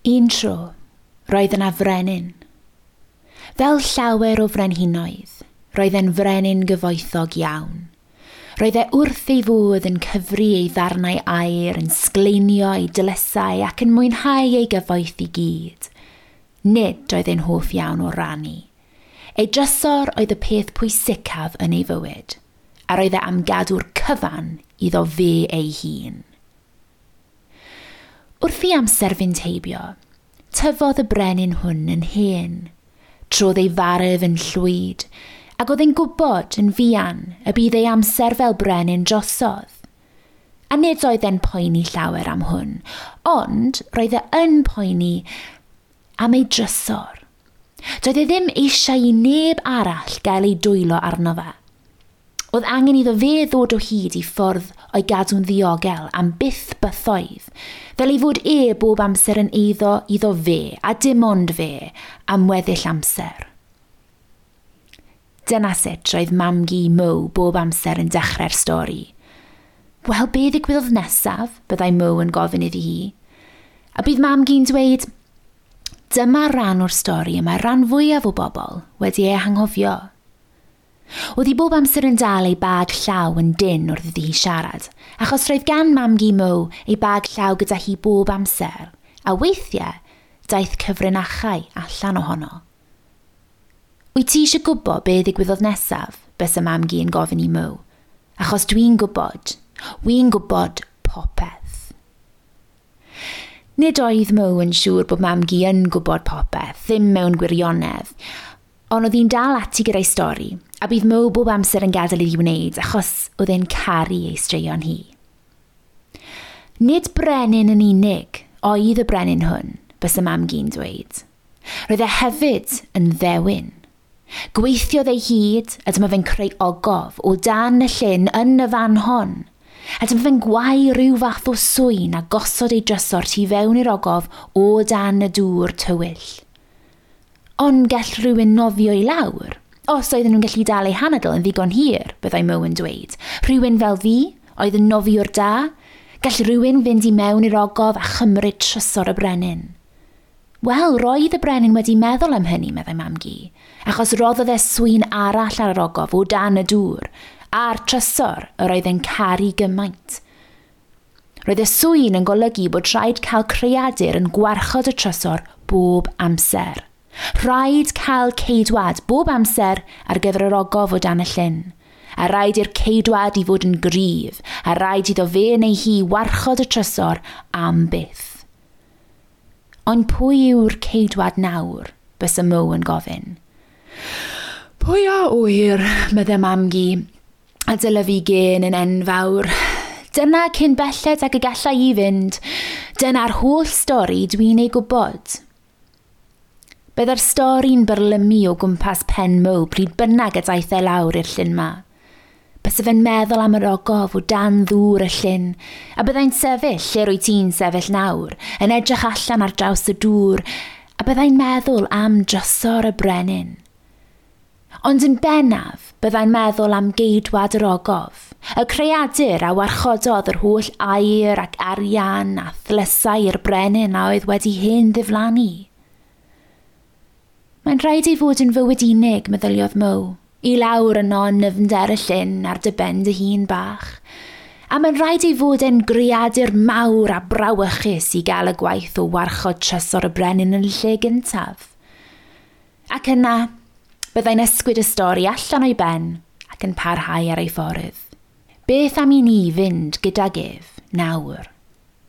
Un tro, roedd yna frenin. Fel llawer o frenhinoedd, roedd e'n frenin gyfoethog iawn. Roedd e wrth ei fodd yn cyfri ei ddarnau aur, yn sgleinio ei dylesau ac yn mwynhau ei gyfoeth i gyd. Nid oedd e'n hoff iawn o rannu. Ei drysor oedd y peth pwysicaf yn ei fywyd, a roedd e am gadw'r cyfan iddo fe ei hun. Wrth i amser fynd heibio, tyfodd y brenin hwn yn hen. Trodd ei farf yn llwyd, ac oedd e'n gwybod yn fuan y bydd ei amser fel brenin drosodd. A nid oedd e'n poeni llawer am hwn, ond roedd e yn poeni am ei drysor. Doedd e ddim eisiau i neb arall gael ei dwylo arno fe. Oedd angen iddo fe ddod o hyd i ffordd o'i gadw'n ddiogel am byth bythoedd, fel ei fod e bob amser yn eiddo iddo fe, a dim ond fe, am weddill amser. Dyna sut roedd mam-gu Mo bob amser yn dechrau'r stori. Wel, be ddigwyddodd nesaf? Byddai Mo yn gofyn iddi hi. A bydd mam-gu'n dweud, dyma ran o'r stori y mae rhan fwyaf o bobl wedi ei hanghofio. Oedd hi bob amser yn dal ei bag llaw yn dynn wrth iddi hi siarad, achos roedd gan mam-gu Mo ei bag llaw gyda hi bob amser, a weithiau daeth cyfrinachau allan ohono. Wyt ti eisiau gwybod be ddigwyddodd nesaf? Bysa mam-gu yn gofyn i Mo. Achos dwi'n gwybod. Wi'n gwybod popeth. Nid oedd Mo yn siŵr bod mam-gu yn gwybod popeth, ddim mewn gwirionedd, ond oedd hi'n dal ati gyda'i stori, a bydd Mo bob amser yn gadael iddi wneud achos oedd e'n caru ei straeon hi. Nid brenin yn unig oedd y brenin hwn, bysa mam-gu'n dweud. Roedd e hefyd yn ddewin. Gweithiodd ei hyd, a dyma fe'n creu ogof o dan y llyn yn y fan hon. A dyma fe'n gwau rhyw fath o swyn a gosod ei drysor tu fewn i'r ogof o dan y dŵr tywyll. Ond gall rhywun nofio i lawr. Os oedden nhw'n gallu dal eu hanadl yn ddigon hir, byddai Mo yn dweud. Rhywun fel fi, oedd yn nofiwr da, gall rhywun fynd i mewn i'r ogof a chymryd trysor y brenin. Wel, roedd y brenin wedi meddwl am hynny, meddai mam-gu, achos roddodd e swyn arall ar yr ogof o dan y dŵr, a'r trysor yr oedd e'n caru gymaint. Roedd y swyn yn golygu bod rhaid cael creadur yn gwarchod y trysor bob amser. Rhaid cael ceidwad bob amser ar gyfer yr ogof o dan y llyn. A rhaid i'r ceidwad i fod yn gryf, a rhaid iddo fe neu hi warchod y trysor am byth. Ond pwy yw'r ceidwad nawr? Bysa Mo yn gofyn. Pwy a ŵyr, meddai mam-gu, a dylyfu gên yn enfawr. Dyna cyn belled ag y galla i fynd. Dyna'r holl stori dwi'n ei gwybod. Byddai'r stori'n byrlymu o gwmpas pen Mo pryd bynnag y daeth e lawr i'r llyn 'ma. Bysa fe'n meddwl am yr ogof o dan ddŵr y llyn, a byddai'n sefyll lle rwyt ti'n sefyll nawr, yn edrych allan ar draws y dŵr, a byddai'n meddwl am drysor y brenin. Ond yn bennaf, byddai'n meddwl am geidwad yr ogof, y creadur a warchododd yr holl aur ac arian a thlysau i'r brenin a oedd wedi hen ddiflannu. Mae'n rhaid ei fod yn fywyd unig, meddyliodd Mo, i lawr yno yn nyfnder y llyn ar dy ben dy hun bach. A mae'n rhaid ei fod e'n greadur mawr a brawychus i gael y gwaith o warchod trysor y brenin yn y lle gyntaf. Ac yna, byddai'n ysgwyd y stori allan o'i ben ac yn parhau ar ei ffordd. Beth am i ni fynd gydag ef nawr?